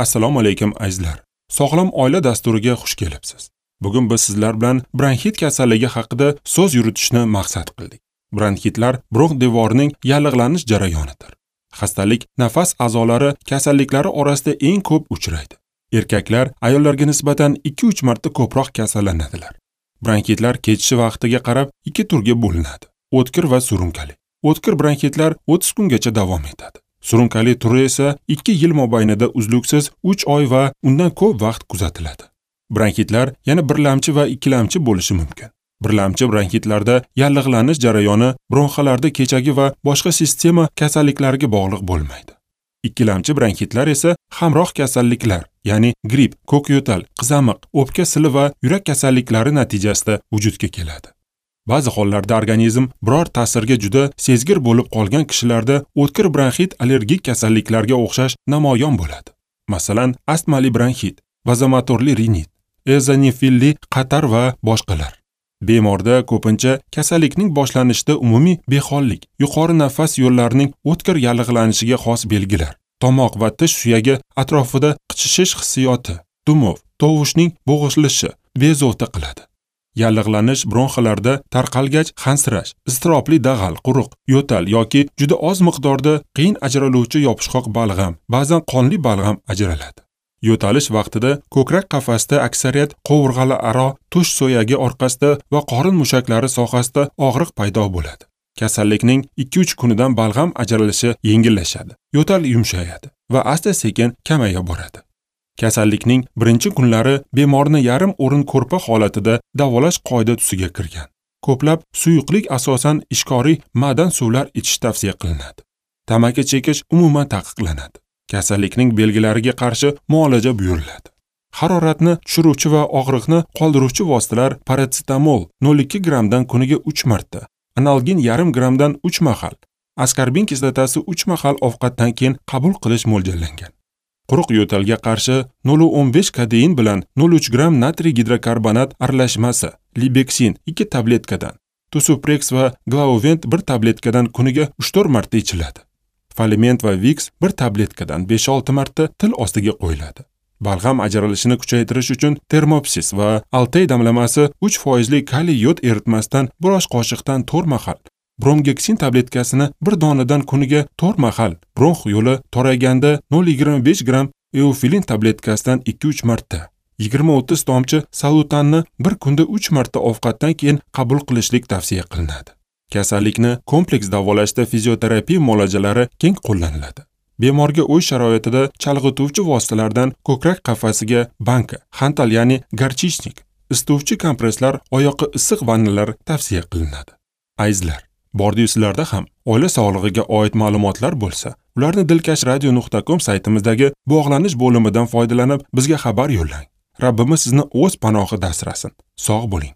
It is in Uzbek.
Assalomu alaykum azizlar. Sog'lom oila dasturiga xush kelibsiz. Bugun biz sizlar bilan bronxit kasalligi haqida so'z yuritishni maqsad qildik. Bronxitlar bronx devorining yallig'lanish jarayonidir. Xastalik nafas a'zolari kasalliklari orasida eng ko'p uchraydi. Erkaklar ayollarga nisbatan 2-3 marta ko'proq kasallanadilar. Bronxitlar kechishi vaqtiga qarab ikki turga bo'linadi: o'tkir va surunkali. O'tkir bronxitlar 30 kungacha davom etadi. Surunkali turi esa 2 yil mobaynida uzluksiz 3 oy va undan ko'p vaqt kuzatiladi. Bronxitlar yana birlamchi va ikkilamchi bo'lishi mumkin. Birlamchi bronxitlarda yallig'lanish jarayoni bronxalarda kechagi va boshqa sistema kasalliklariga bog'liq bo'lmaydi. Ikkilamchi bronxitlar esa hamroh kasalliklar, ya'ni gripp, ko'k yo'tal, qizamiq, o'pka sili va yurak kasalliklari natijasida vujudga keladi. Ba'zi hollarda organizm biror ta'sirga juda sezgir bo'lib qolgan kishilarda o'tkir bronxit allergik kasalliklarga o'xshash namoyon bo'ladi. Masalan, astmali bronxit, vazomotorli rinit, eozinofilli qatar va boshqalar. Bemorda ko'pincha kasallikning boshlanishida umumiy behollik, yuqori nafas yo'llarining o'tkir yallig'lanishiga xos belgilar, tomoq va tish suyagi atrofida qichishish hissiyoti, dumov, tovushning bo'g'ilishi bezovta qiladi. Yallig'lanish bronxalarda tarqalgach hansirash, iztirobli dag'al, quruq, yo'tal yoki juda oz miqdorda qiyin ajraluvchi yopishqoq balg'am, ba'zan qonli balg'am ajraladi. Yo'talish vaqtida ko'krak qafasida aksariyat qovurg'alararo, tush so'yagi orqasida va qorin mushaklari sohasida og'riq paydo bo'ladi. Kasallikning 2-3 kunidan balg'am ajralishi yengillashadi, yo'tal yumshayadi va asta-sekin kamaya boradi. Kasallikning birinchi kunlari bemorni yarim o'rin ko'rpa holatida davolash qoida tusiga kirgan. Ko'plab suyuqlik, asosan ishqoriy ma'dan suvlar ichish tavsiya qilinadi. Tamaki chekish umuman taqiqlanadi. Kasallikning belgilariga qarshi muolaja buyuriladi. Haroratni tushiruvchi va og'riqni qoldiruvchi vositalar parasetamol 0,2 grammdan kuniga 3 marta, analgin 0,5 grammdan 3 mahal, askarbin kislotasi 3 mahal ovqatdan keyin qabul qilish mo'ljallangan. Quruq yo'talga qarshi 0,15 kodein bilan 0,3 gramm natriy gidrokarbonat aralashmasi, libeksin 2 tabletkadan, Tusuprex va Glauvent 1 tabletkadan kuniga 3-4 marta ichiladi. Faliment va Vicks 1 tabletkadan 5-6 marta til ostiga qo'yiladi. Balg'am ajralishini kuchaytirish uchun termopsis va Altay damlamasi 3% kaliy yod eritmasidan 1 osh qoshiqdan 4 mahal, bromgeksin tabletkasini 1 donadan kuniga 4 mahal, bronx yo'li torayganda 0,25 gramm eufilin tabletkasidan 2-3 marta, 20-30 tomchi salutanni bir kunda 3 marta ovqatdan keyin qabul qilishlik tavsiya qilinadi. Kasallikni kompleks davolashda fizioterapiya muolajalari keng qo'llaniladi. Bemorga uy sharoitida chalg'ituvchi vositalardan ko'krak qafasiga banka, xantal ya'ni garchichnik, isituvchi kompresslar, oyoqqa issiq vannalar tavsiya qilinadi. Azizlar, bordiyu sizlarda ham oila sog'lig'iga oid ma'lumotlar bo'lsa, ularni dilkashradio.com saytimizdagi bog'lanish bo'limidan foydalanib bizga xabar yo'llang. Rabbimiz sizni o'z panohida asrasin. Sog' bo'ling.